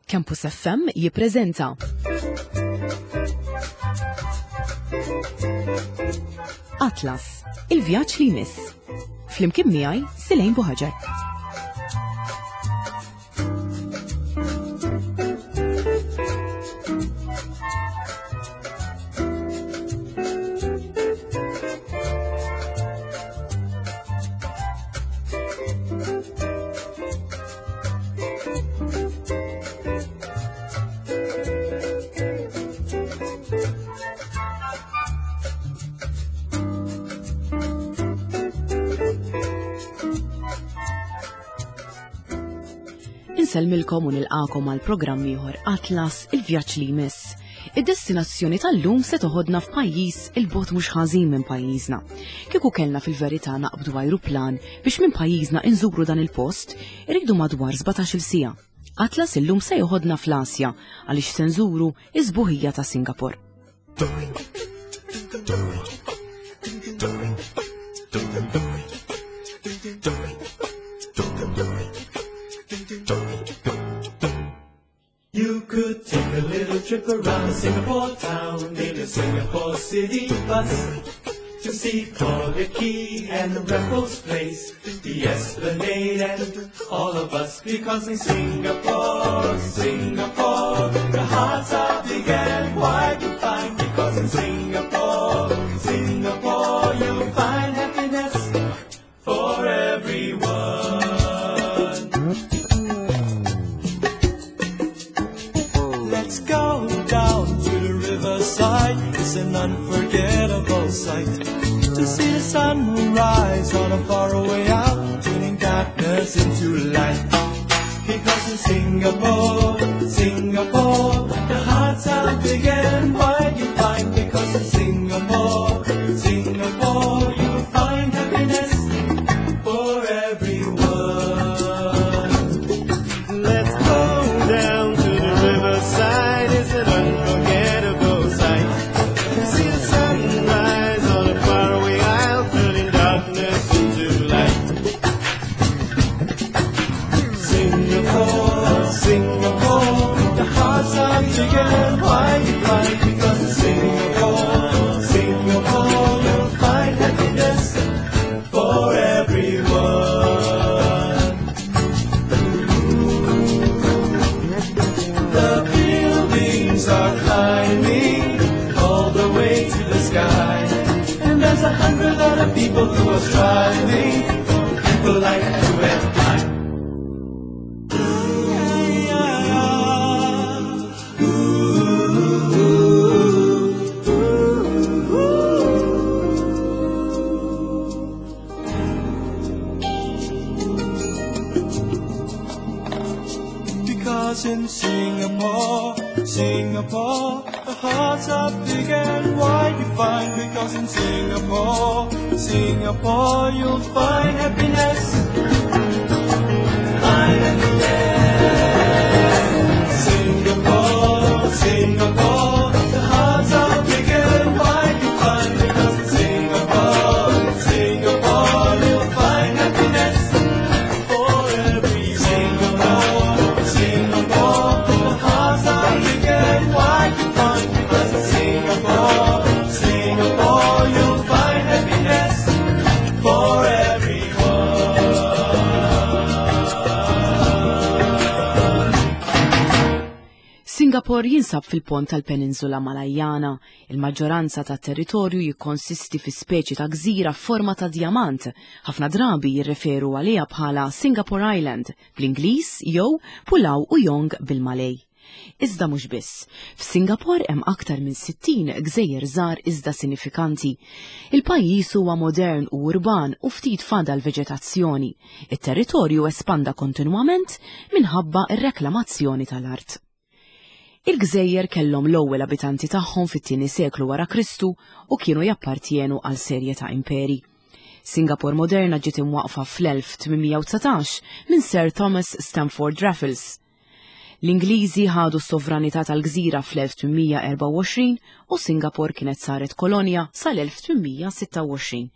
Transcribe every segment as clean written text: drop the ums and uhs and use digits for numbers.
Campus FM jippreżenta Atlas, il-vjaġġ li jmiss. Flimkien miegħi Silejn Buħaġar. Insellmilkom u nilqakom għal programm ieħor Atlas il-vjaġġ li jmiss. Id-destinazzjoni tal-lum se toħodna f'pajjiż il-bot mhux ħażin minn pajjiżna. Kieku kellna fil-verità naqbdu ajruplan biex minn pajjiżna inżuru dan il-post, irridu madwar 17-il siegħa. Atlas illum se joħodna fl-Asja għaliex se nżuru iż-sbuħija ta' Singapore. You could take a little trip around Singapore town in a Singapore city bus to see Collyer Quay and Raffles Place, the Esplanade and all of us because in Singapore, Singapore, the hearts are big and wide you find because in Singapore, Singapore you'll find happiness for everyone. Let's go down to the riverside. It's an unforgettable sight to see the sunrise on a faraway isle, turning darkness into light. Because in Singapore, Singapore, the hearts are big and wide you find. Because in Singapore, Singapore, you find happiness for everyone. Let's go down to the riverside. It's an unforgettable sight. To see the sunrise on a faraway isle, turning darkness into light. Singapore, Singapore, the hearts are big and wide you find. Because in Singapore, Singapore, you'll find happiness for everyone. The buildings are climbing all the way to the sky. And there's 100 other people who are striving for people like you and I. Because in Singapore, Singapore, the hearts are big and wide you find. Because in Singapore, Singapore, you'll find happiness. Find happiness. Singapore, Singapore, the hearts are big and wide you find. Because in Singapore, Singapore, you'll find happiness. For every Singapore, Singapore, the hearts are big and wide you find. Because in Singapore, Singapore, you'll find happiness for everyone. Singapore jinsab fil-pont tal-Peninsula Malajjana. Il-maġġoranza tat-territorju jikkonsisti fi speċi ta' gżira f'forma ta' djamant. Ħafna drabi jirreferu għaliha bħala Singapore Island bl-Ingliż jew Pulau Ujong bil-Malej. Iżda mhux biss. F'Singapore hemm aktar minn 60 gżejjer żgħar iżda sinifikanti. Il-pajjiż huwa modern u urban u ftit fadal veġetazzjoni. It-territorju espanda kontinwament minħabba r-reklamazzjoni tal-art. Il-gżejjer kellhom l-ewwel abitanti tagħhom fit-tieni seklu wara Kristu u kienu jappartjenu għal serje ta' imperi. Singapore moderna ġiet imwaqqfa fl-1819 minn Sir Thomas Stamford Raffles. L-Ingliżi ħadu s-sovranità tal-gżira fl-1824 u Singapore kienet saret kolonja sal-1826.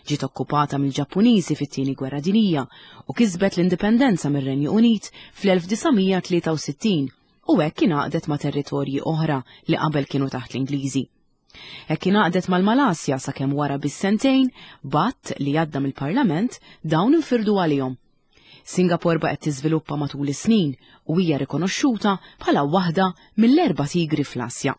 Ġiet okkupata mill-Ġappuniżi fit-Tieni Gwerra Dinjija u kisbet l-indipendenza mir-Renju Unit fl-1963. u hekk ingħaqdet ma' territorji oħra li qabel kienu taħt l-Ingliżi. Hekk ingħaqdet mal-Malasja sakemm wara biss sentejn, b'att li għadda mill-Parlament, dawn infirdu għalihom. Singapore baqgħet tiżviluppa matul is-snin u hija rikonoxxuta bħala waħda mill-erba' tigri fl-Asja.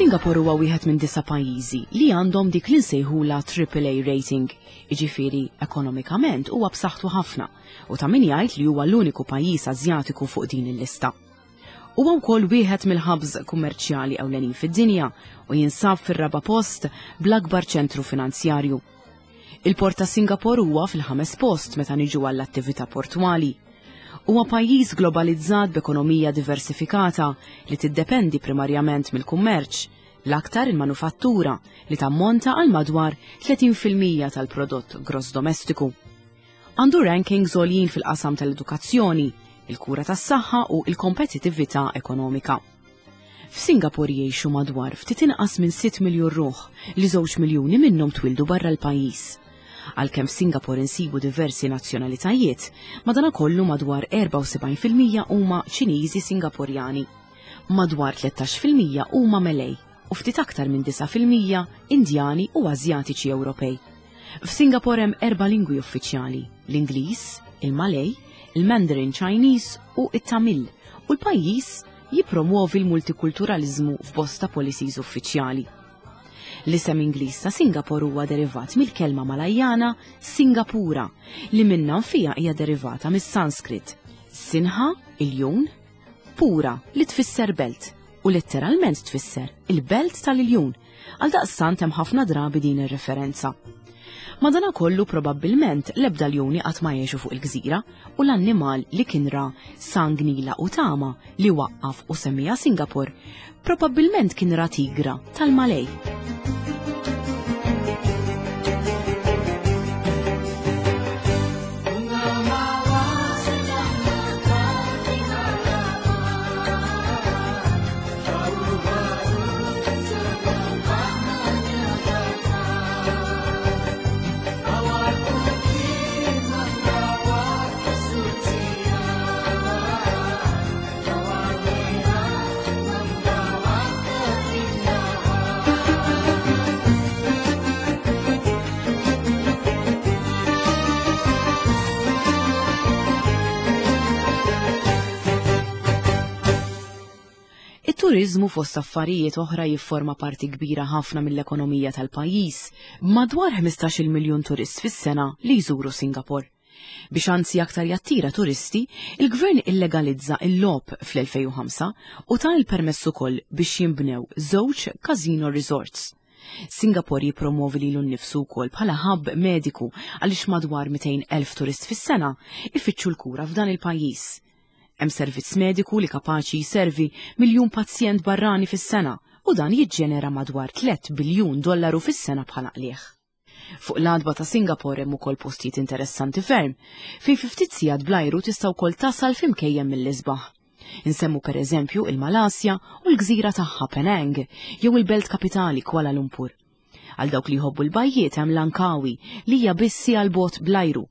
Singapore huwa wieħed minn disa' pajjiżi li għandhom dik li nsejħula AAA rating, jiġifieri ekonomikament huwa b'saħħtu ħafna u ta' min jgħid li huwa l-uniku pajjiż Asjatiku fuq din il-lista. Huwa wkoll wieħed mill-hubs kummerċjali ewlenin fid-dinja u jinsab fir-raba' post bl-akbar ċentru finanzjarju. Il-port ta' Singapore huwa fil-ħames post meta niġu għall-attività portwali. Huwa pajjiż globalizzat b'ekonomija diversifikata li tiddependi primarjament mill-kummerċ, l-aktar il-manufattura li tammonta għal madwar 30% tal-prodott gross domestiku. Għandu rankings għoljin fil-qasam tal-edukazzjoni, il-kura tas-saħħa u l-kompetittività ekonomika. F'Singapore jgħixu madwar ftit inqas minn 6 miljun ruħ li żewġ miljuni minnhom twieldu barra l-pajjiż. Għalkemm f'Singapore insibu diversi nazzjonalitajiet, madanakollu madwar 74% huma Ċiniżi Singaporjani. Madwar 13% huma Malay u ftit aktar minn 9% Indjani u Asjatiċi Ewropej. F'Singapore hemm erba' lingwi uffiċjali, l-Ingliż, il-Malay, il-Mandarin Chinese u t-Tamil, u l-pajjiż jippromwovi l-multikulturaliżmu f'bosta policies uffiċjali. L-isem Ingliż ta' Singapore huwa derivat mill-kelma Malajjana Singapura, li minnha nfiha hija derivata mis-Sanskrit Sinha, iljun, Pura, li tfisser belt, u letteralment tfisser il-belt tal-iljun, għaldaqstant hemm ħafna drabi din ir-referenza. Madanakollu probabbilment l-ebda ljuni qatt ma għexu fuq il-gżira u l-annimal li kien ra Sang Nila Utama li waqqaf u semmiha Singapore probabbilment kien ra tigra tal-Malej. It-turiżmu fost affarijiet oħra jifforma parti kbira ħafna mill-ekonomija tal-pajjiż, b'madwar 15-il miljun turist fis-sena li jżuru Singapore. Biex anzi aktar jattira turisti, il-gvern illegalizza l-logħob fl-2005 u ta l-permess ukoll biex jinbnew żewġ casino resorts. Singapore jippromwovi lilu nnifsu wkoll bħala hub mediku għaliex madwar 200,000 turist fis-sena ifittxu l-kura f'dan il-pajjiż. Hemm servizz mediku li kapaċi jservi miljun pazjent barrani fis-sena u dan jiġġenera madwar 3 biljun dollaru fis-sena bħala qligħ. Fuq l-għatba ta' Singapore hemm ukoll postijiet interessanti ferm, fejn fi ftit sigħat bl-ajru tista' wkoll tasal fi mkejjen mill-isbaħ. Insemmu pereżempju il-Malasja u l-gżira tagħha Penang jew il-belt kapitali Kuala Lumpur. Għal dawk li jħobbu l-bajjiet hemm Langkawi li hija biss siegħa 'l bogħod bl-ajru.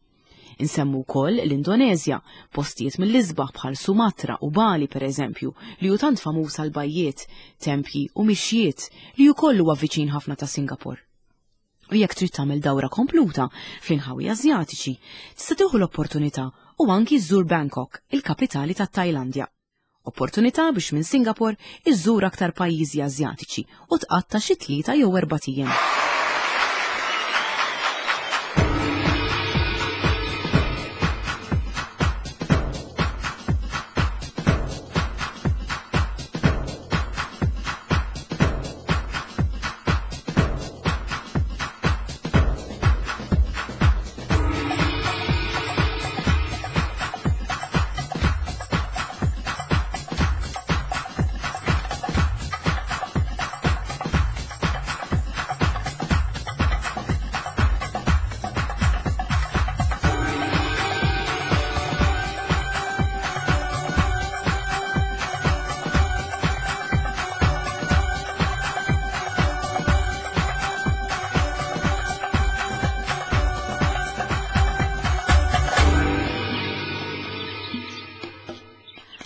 Insemmu wkoll l-Indoneżja, postijiet mill-isbaħ bħal Sumatra u Bali pereżempju li hu tant famuż għal bajjiet, tempji u mixjiet li wkoll huwa viċin ħafna ta' Singapore. U jekk trid tagħmel dawra kompluta fl-inħawi Asjatiċi, tista' tieħu l-opportunità u anki żżur Bangkok, il-kapitali tat-Tajlandja. Opportunità biex minn Singapore iżżur aktar pajjiżi Asjatiċi u tqatta' xi tlieta jew erbat ijiem.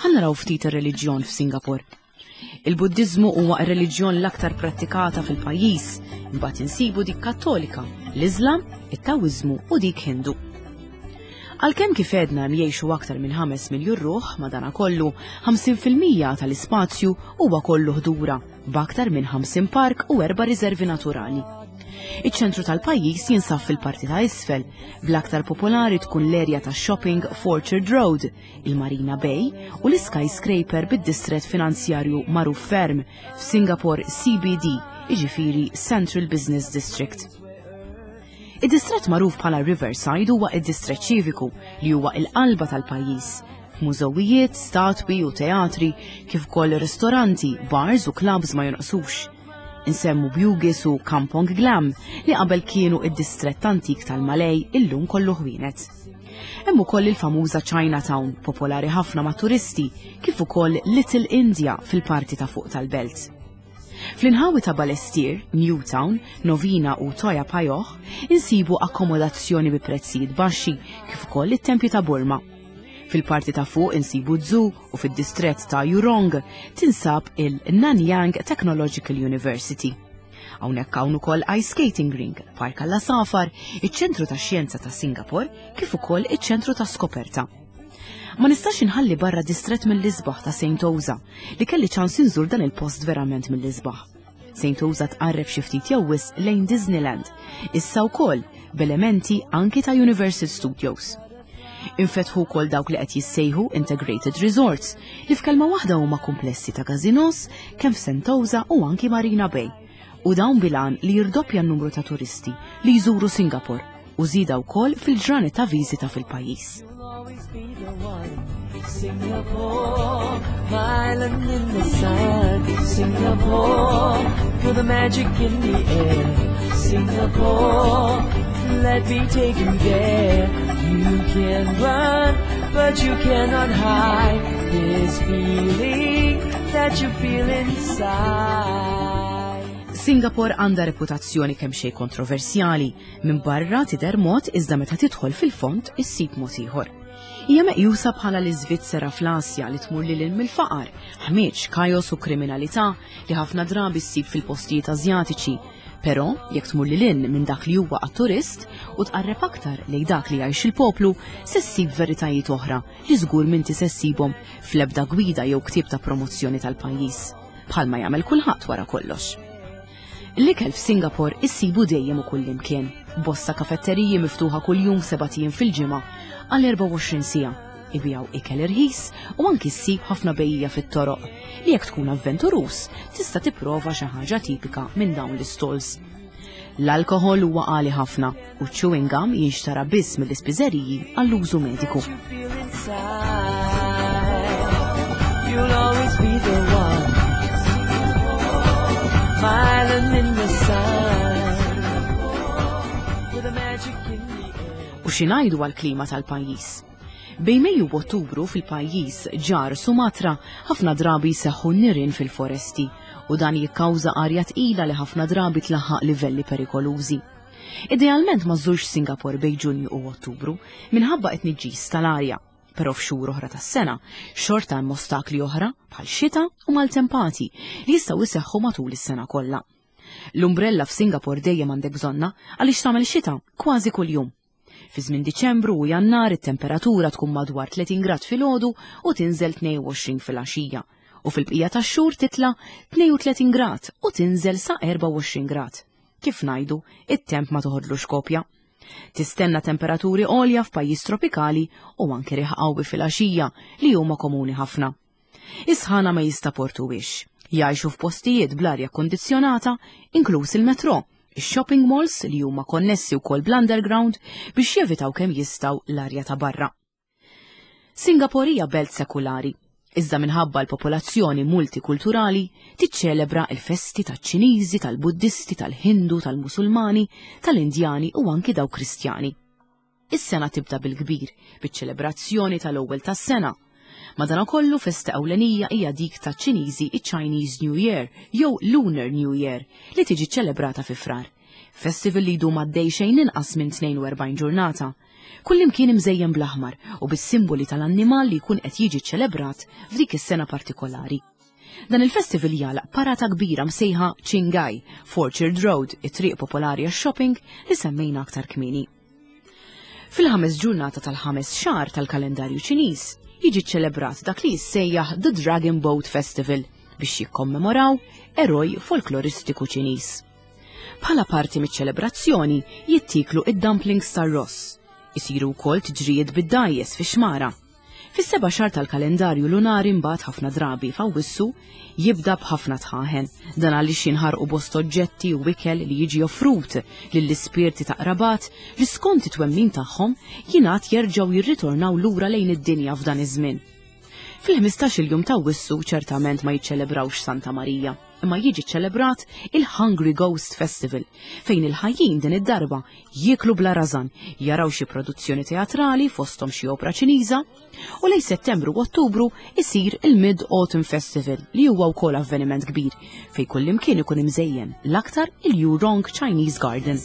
Ħa naraw ftit ir-reliġjon f'Singapore. Il-Buddiżmu huwa r-reliġjon l-aktar prattikata fil-pajjiż, imbagħad insibu dik Kattolika, l-Iżlam, it-Tawiżmu u dik Hindu. Għalkemm kif għedna hemm jgħixu aktar minn 5 miljun ruħ, madanakollu 50% tal-ispazju huwa kollu ħdura, b'aktar minn 50 park u erba' riservi naturali. Iċ-ċentru tal-pajjiż jinsab fil-parti ta' isfel, bl-aktar popolari tkun l-erja ta' shopping f'Orchard Road, il-Marina Bay u l-iskyscraper bid-distrett finanzjarju magħruf ferm f'Singapore CBD, jiġifieri Central Business District. Id-distrett magħruf bħala Riverside huwa id-distrett ċiviku li huwa il-qalba tal-pajjiż, b'mużewijiet, statwi u teatri, kif ukoll ristoranti, bars u clubs ma jonqsux. Insemmu Bugis u Kampong Glam li qabel kienu id-distrett antik tal-Malej illum kollu ħwienet. Hemm ukoll il-famuża Chinatown, popolari ħafna ma' turisti, kif ukoll Little India fil-parti ta' fuq tal-belt. Fl-inħawi ta' Balestier, Newtown, Novena u Toa Payoh insibu akkomodazzjoni bi prezzijiet baxxi kif ukoll it-tempju ta' Burma. Fil-parti ta' fuq insibu zoo u fid-distrett ta' Jurong tinsab il-Nanyang Technological University. Hawnhekk hawn ukoll ice skating rink, park għall-għasafar, iċ-ċentru tax-xjenza ta' Singapore kif ukoll iċ-ċentru ta' skoperta. Ma nistax inħalli barra distrett mill-isbaħ ta' Sentosa li kelli ċans inżur dan il-post verament mill-isbaħ. Sentosa tqarreb xi ftit jew wisq lejn Disneyland, issa wkoll b'elementi anki ta' Universal Studios. Infetħu wkoll dawk li qed jissejħu Integrated Resorts li f'kelma waħda huma komplessi ta' casinos kemm f'Sentosa u anki Marina Bay. U dawn bil-għan li jirdoppja n-numru ta' turisti li jżuru Singapore u żieda wkoll fil-ġranet ta' viżita fil-pajjiż. Singapore, island in the sun. Singapore, feel the magic in the air. Singapore, let me take you there. You can run, but you cannot hide this feeling that you feel inside. Singapore għandha reputazzjoni kemm xejn kontroversjali, minn barra tidher mod iżda meta tidħol fil-fond issib mod ieħor. Hija meqjusa bħala l-Iżvizzera fl-Asja li tmur lil hinn mill-faqar, ħmieġ, kajos u kriminalità li ħafna drabi ssib fil-postijiet Asjatiċi. Però, jekk tmur lil hinn minn dak li huwa għat-turist u tqarreb aktar lejn dak li jgħix il-poplu, se ssib veritajiet oħra li żgur m'inti se ssibhom fl-ebda gwida jew ktieb ta' promozzjoni tal-pajjiż, bħalma jagħmel kulħadd wara kollox. L-ikel f'Singapore issibu dejjem u kullimkien. Bosta kafetteriji miftuħa kuljum sebat ijiem fil-ġimgħa għal 24 siegħa. Ibijaw ikel irħis u anki ssib ħafna bejjiegħa fit-toroq li jekk tkun avventuruż tista' tipprova xi ħaġa tipika minn dawn l-istalls. L-alkoħol huwa għali ħafna u chewing gum jinxtara biss mill-ispiżeriji għall-użu mediku. You'll always be the one. Smiling in the sun. With the magic in the air. U xi ngħidu għall-klima tal-pajjiż? Bejn Mejju u Ottubru fil-pajjiż ġar Sumatra ħafna drabi jseħħu nirien fil-foresti u dan jikkawża arja tqila li ħafna drabi tlaħħaq livelli perikolużi. Idealment ma żżurx Singapore bejn Ġunju u Ottubru minħabba t-tniġġis tal-arja, però f'xhur oħra tas-sena xorta hemm ostakli oħra bħal xita u maltempati li jistgħu jseħħu matul is-sena kollha. L-umbrella f'Singapore dejjem għandek bżonnha għaliex tagħmel xita kważi kuljum. Fi żmien Diċembru u Jannar it-temperatura tkun madwar 30 grad filgħodu u tinżel 22 filgħaxija u fil-bqija tax-xhur titla' 32 grad u tinżel sa 24 grad. Kif ngħidu, it-temp ma toħodlux kopja. Tistenna temperaturi għolja f'pajjiż tropikali u anke riħ qawwi filgħaxija li huma komuni ħafna. Is-sħana ma jistaportuhiex. Jgħixu f'postijiet bl-arja kkundizzjonata, inkluż il-metro, ix-shopping malls li huma konnessi wkoll bl-underground biex jevitaw kemm jistgħu l-arja ta' barra. Singapore hija belt sekulari, iżda minħabba l-popolazzjoni multikulturali tiċċelebra l-festi taċ-Ċiniżi, tal-Buddisti, tal-Hindu, tal-Musulmani, tal-Indjani u anki dawk Kristjani. Is-sena tibda bil-kbir, biċ-ċelebrazzjoni tal-ewwel tas-sena. Madanakollu festa ewlenija hija dik taċ-Ċiniżi iċ-Chinese New Year jew Lunar New Year li tiġi ċelebrata fi Frar. Festival li jdum għaddej xejn inqas minn 42 ġurnata. Kullimkien imżejjen bl-aħmar u bis-simboli tal-annimal li jkun qed jiġi ċċelebrat f'dik is-sena partikolari. Dan il-festival jagħlaq parata kbira msejħa Qinghai, f'Orchard Road, it-triq popolari għax-shopping li semmejna aktar kmieni. Fil-ħames ġurnata tal-ħames xahar tal-kalendarju Ċiniż jiġi ċċelebrat dak li jissejjaħ The Dragon Boat Festival biex jikkommemoraw eroj folkloristiku Ċiniż. Bħala parti miċ-ċelebrazzjoni jittieklu id-dumplings tar-ross. Isiru wkoll tiġrijiet bid-dgħajjes fix-xmara. Fis-seba' xahar tal-kalendarju lunari mbagħad ħafna drabi f'Awwissu jibda b'ħafna dħaħen. Dan għaliex jinħarqu bosta oġġetti u ikel li jiġi offrut lill-ispirti ta' qrabat li skont it-twemmin tagħhom jingħad jerġgħu jirritornaw lura lejn id-dinja f'dan iż-żmien. Fil-ħmistax-il jum t'Awwissu ċertament ma jiċċelebrawx Santa Marija, imma jiġi ċċelebrat il-Hungry Ghost Festival, fejn il-ħajjin din id-darba jieklu bla rażan, jaraw xi produzzjoni teatrali fosthom xi opra Ċiniża, u lejn Settembru u Ottubru isir il-Mid Autumn Festival li huwa wkoll avveniment kbir fejn kullimkien ikun imżejjen l-aktar il-Jurong Chinese Garden.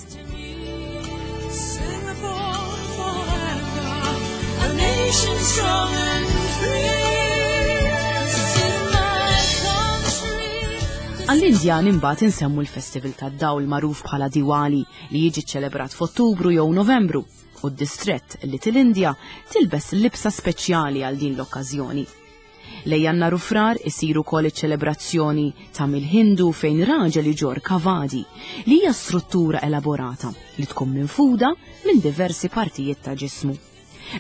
Għall-Indjan imbagħad insemmu l-Festival tad-Dawl magħruf bħala Diwali li jiġi ċċelebrat f'Ottubru jew Novembru u d-distrett Little India tilbes libsa speċjali għal din l-okkażjoni. Lejn Jannar u Frar isir ukoll iċ-ċelebrazzjoni ta' mill-Hindu fejn raġel iġorr kavadi, li hija struttura elaborata li tkun minfuda minn diversi partijiet ta' ġismu.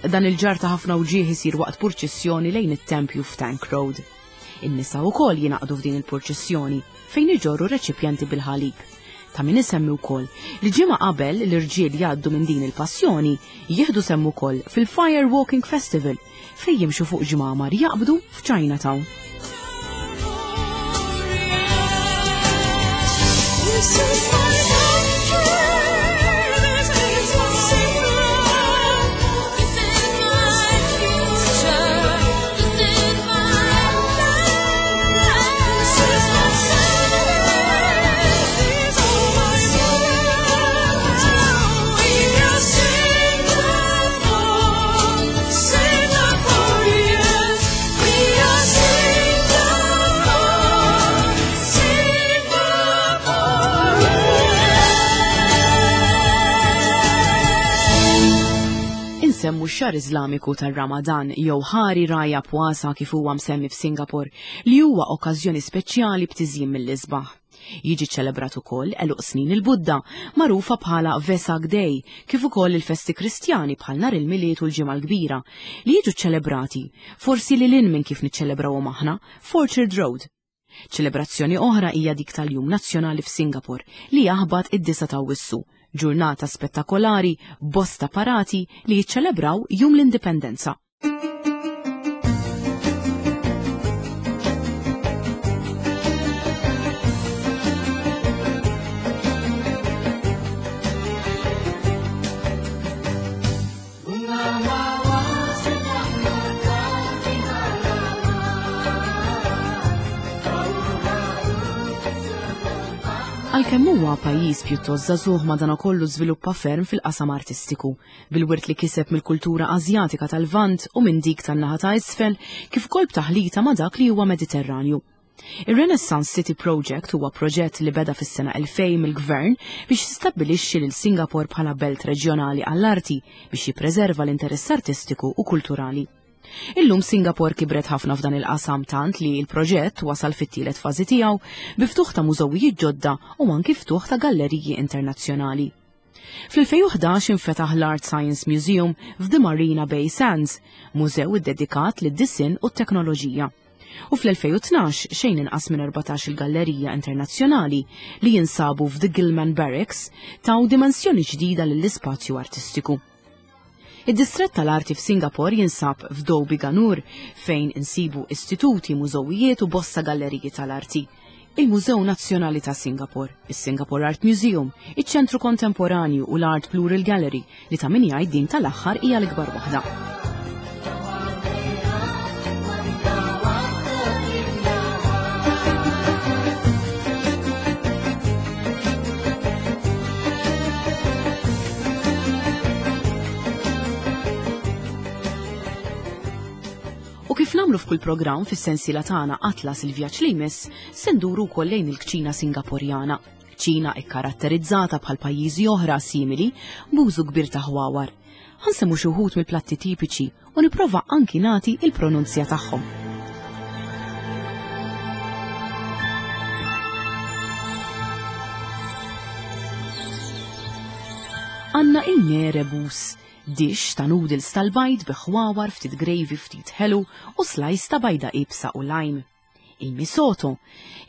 Dan il-ġarr ta' ħafna wġieħ isir waqt purċissjoni lejn it-tempju f'Tank Road. In-nisa wkoll jingħaqdu f'din il-purċissjoni fejn iġorru reċipjenti bil-ħalib. Ta' min isemmi wkoll li ġimgħa qabel l-irġiel jgħaddu minn din il-passjoni jieħdu sehem ukoll fil-Fire Walking Festival fejn jimxu fuq ġmamar jaqbdu f'Chinatown. Insemmu x-xahar Iżlamiku tar-Ramadan jew Hari Raya Puasa kif huwa msemmi f'Singapore li huwa okkażjoni speċjali b'tiżjin mill-isbaħ. Jiġi ċċelebrat ukoll għeluq snin il-Buddha, magħrufa bħala Vesak Day, kif ukoll il-festi Kristjani bħal nhar il-Milied u l-Ġimgħa l-Kbira, li jiġu ċċelebrati, forsi lil hinn minn kif niċċelebrawhom aħna, f'Orchard Road. Ċelebrazzjoni oħra hija dik tal-Jum Nazzjonali f'Singapore, li jaħbat id-9 ta' Awwissu, ġurnata spettakolari b'bosta parati li jiċċelebraw Jum l-Indipendenza. Għalkemm huwa pajjiż pjuttost żagħżugħ madankollu żviluppa ferm fil-qasam artistiku. Bil-wirt li kiseb mill-kultura Asjatika tal-Lvant u minn dik tan-naħa ta' isfel, kif ukoll b'taħlita ma' dak li huwa Mediterranju. Ir-Renaissance City Project huwa proġett li beda fis-sena 2000 mill-gvern biex jistabbilixxi lil Singapore bħala belt reġjonali għall-arti biex jippreserva l-interess artistiku u kulturali. Illum Singapore kibret ħafna f'dan il-qasam tant li l-proġett wasal fit-tielet fażi tiegħu bi ftuħ ta' mużewijiet ġodda u anki ftuħ ta' galleriji internazzjonali. Fl-2011 infetaħ l-Art Science Museum f'The Marina Bay Sands, mużew iddedikat lid-disinn u t-teknoloġija. U fl-2012 xejn inqas minn 14 il-gallerija internazzjonali li jinsabu f'The Gillman Barracks taw dimensjoni ġdida lill-ispazju artistiku. Id-distrett tal-arti f'Singapore jinsab f'Dhoby Ganur fejn insibu istituti, mużewijiet u bosta galleriji tal-arti. Il-Mużew Nazzjonali ta' Singapore, is-Singapore Art Museum, iċ-Ċentru Kontemporanju u l-Art Plural Gallery li ta' min jgħid din tal-aħħar hija l-ikbar waħda. kif nagħmlu f'kull programm fis-sensiela tagħna Atlas il-vjaġġ li jmiss, se nduru wkoll lejn il-kċina Singaporjana. Kċina ikkaratterizzata bħal pajjiżi oħra simili b'użu kbir ta' ħwawar. Ħa nsemmu xi wħud mill-platti tipiċi u nipprova anki nagħti il-pronunzja tagħhom. Għandna il-mee rebus, dish ta' noodles tal-bajd bi ħwawar, ftit gravy, ftit ħelu u slice ta' bajda iebsa u lime. Il-misoto,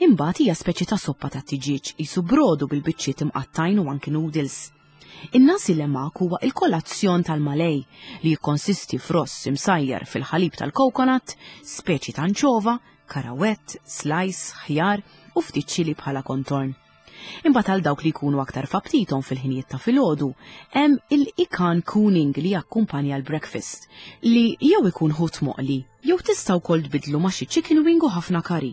imbagħad hija speċi ta' soppa ta' tiġieġ qisu brodu bil-biċċiet imqattgħin u anki noodles. In-nasi lemak huwa il-kolazzjon tal-Malej li jikkonsisti f'ross imsajjar fil-ħalib tal-coconut, speċi ta' anċova, karawett, slice, ħjar u ftit ċili bħala kontorn. Imbagħad għal dawk li jkunu aktar f'aptitom fil-ħinijiet ta' filgħodu, hemm il-ikan kuning li jakkumpanja l-breakfast, li jew ikun ħut moqli, jew tista' wkoll tbiddlu ma' xi chicken wing u ħafna curry.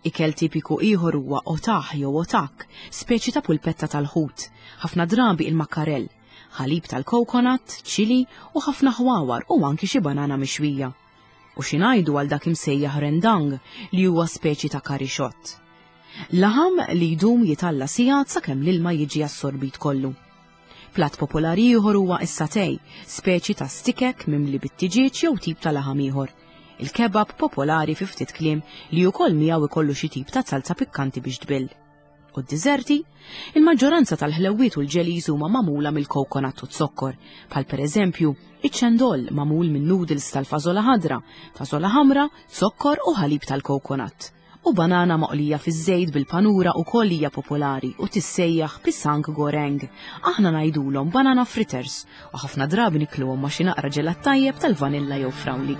Ikel tipiku ieħor huwa otah jew otak, speċi ta' pulpetta tal-ħut, ħafna drabi il-makkarell, ħalib tal-coconut, ċili u ħafna ħwawar u anki xi banana mixwija. U xi ngħidu għal dak imsejjaħ rendang li huwa speċi ta' curry xott. Laħam li jdum jitgħalla sigħat sakemm l-ilma jiġi assorbit kollu. Platt popolari ieħor huwa s-satay, speċi ta' stikek mimli bit-tiġieġ jew tip ta' laħam ieħor. Il-kebab popolari fi ftit kliem li wkoll miegħu ikollu xi tip ta' salza pikkanti biex tbill. U d-diżerti? Il-maġġoranza tal-ħlewwiet u l-jellies huma magħmula mill-coconut u z-zokkor, bħal pereżempju iċ-ċendol magħmul minn noodles tal-fażola ħadra, fażola ħamra, zokkor u ħalib tal-coconut. U banana moqlija fiż-żejt bil-panura ukoll hija popolari u tissejjaħ pisang goreng. Aħna ngħidulhom banana fritters u ħafna drabi nikluhom ma' xi naqra ġelat tajjeb tal-vanilla jew frawli.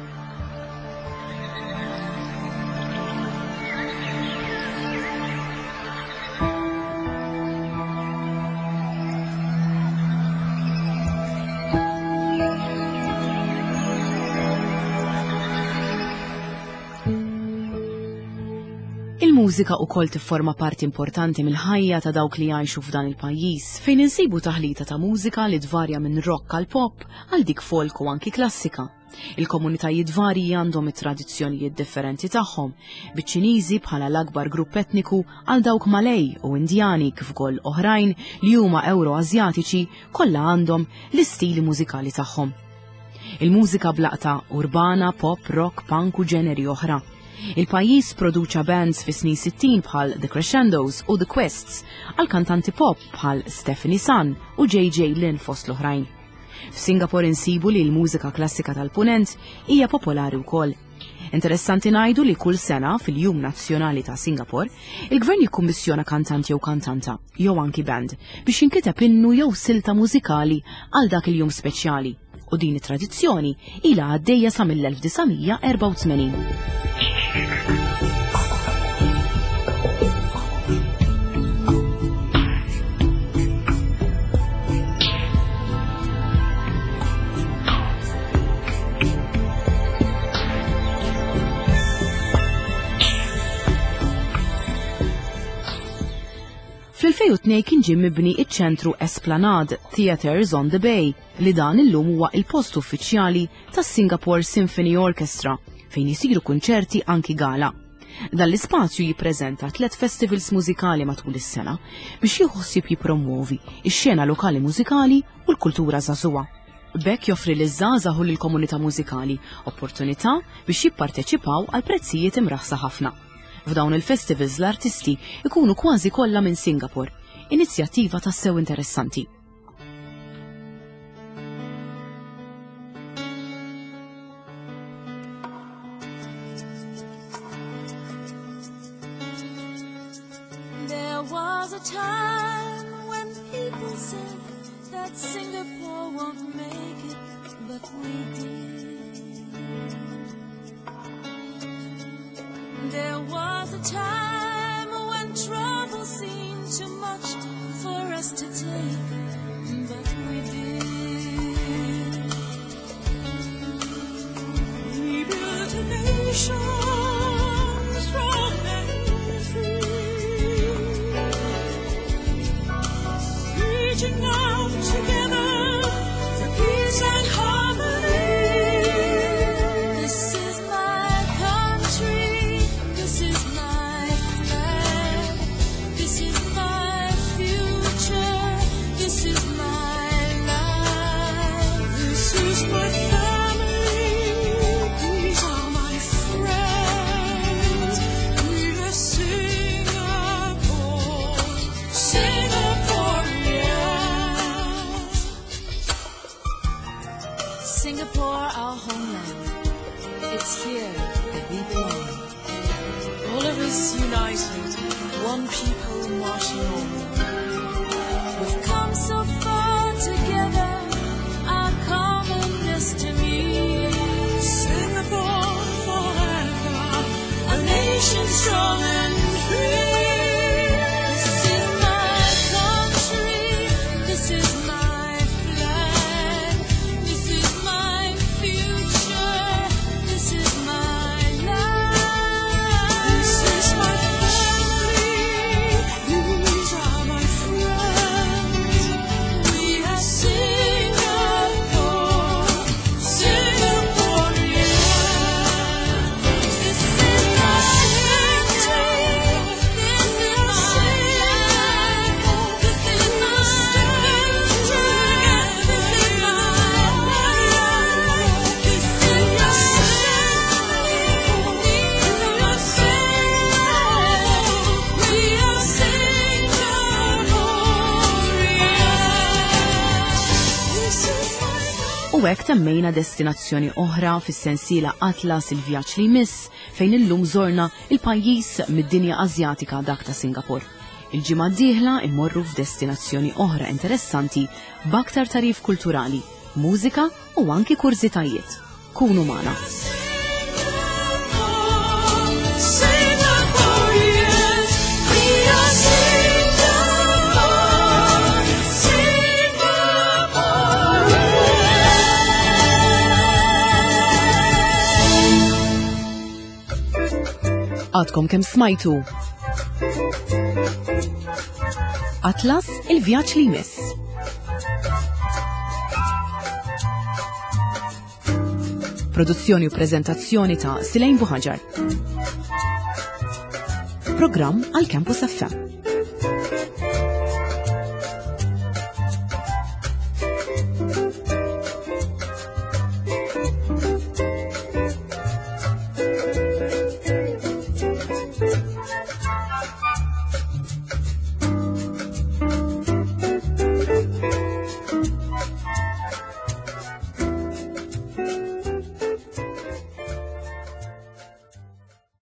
Il-mużika ukoll tifforma parti importanti mill-ħajja ta' dawk li jgħixu f'dan il-pajjiż, fejn insibu taħlita ta' mużika li tvarja minn rock għal pop għal dik folk u anki klassika. Il-komunitajiet varji għandhom it-tradizzjonijiet differenti tagħhom, biċ-Ċiniżi bħala l-akbar grupp etniku għal dawk Malej u Indjani kif ukoll oħrajn li huma Ewro-Asjatiċi kollha għandhom l-istili mużikali tagħhom. Il-mużika b'laqta urbana, pop, rock, punk u ġeneri oħra. Il-pajjiż produċa bands fis snin 60 bħal The Crescendos u The Quests għal kantanti pop bħal Stephanie Sun u JJ Lin fost l-oħrajn. F'Singapore insibu li l-mużika klassika tal-punent hija popolari wkoll. Interessanti ngħidu li kull sena fil-Jum Nazzjonali ta' Singapore, il-gvern jikkummissjona kantant jew kantanta, jew anki band, biex jinkiteb innu jew silta mużikali għal dak il-jum speċjali. U din it-tradizzjoni ilha għaddejja sa mill-1984. Fl-2002 kien ġie mibni iċ-ċentru Esplanade Theatres on the Bay li dan illum huwa il-post uffiċjali tas-Singapore Symphony Orchestra fejn jisiru kunċerti anki gala. Dan l-ispazju jippreżenta tliet festivals mużikali matul is-sena biex jieħu ħsieb jippromwovi x-xena lokali mużikali u l-kultura żagħżugħa. B'hekk joffri liż-żgħażagħ u lill-komunità mużikali opportunità biex jipparteċipaw għal prezzijiet imraħsa ħafna. F'dawn il-festivals l-artisti ikunu kważi kollha minn Singapore, inizjattiva tassew interessanti. There was a time when people said that Singapore won't make it, but we did. There was a time when trouble seemed too much for us to take, but we did. We built a nation strong and free, reaching out together for peace and harmony. This is my One people marching on. We've come so far together, our common destiny. Singapore forever, a nation strong and free. This is my country, this is my flag, this is my future, this is my life. This is my family, these are my friends. We are Singapore, Singaporeans. This is my country, this is my life, this is my future, this is my life, this is my these are my we are Singaporeans. This is my U hekk temmejna destinazzjoni oħra fis-sensiela Atlas il-vjaġġ li jmiss fejn illum żorna il-pajjiż mid-dinja Asjatika dak ta' Singapore. Il-ġimgħa d-dieħla immorru f'destinazzjoni oħra interessanti b'aktar tagħrif kulturali, mużika u anki kurżitajiet. Kunu magħna. Singaporeans, we are Singapore, Singaporeans. Għadkom kemm smajtu. Atlas il-vjaġġ li jmiss. Produzzjoni u prezentazzjoni ta' Silejn Buħaġar. Programm għal Campus FM.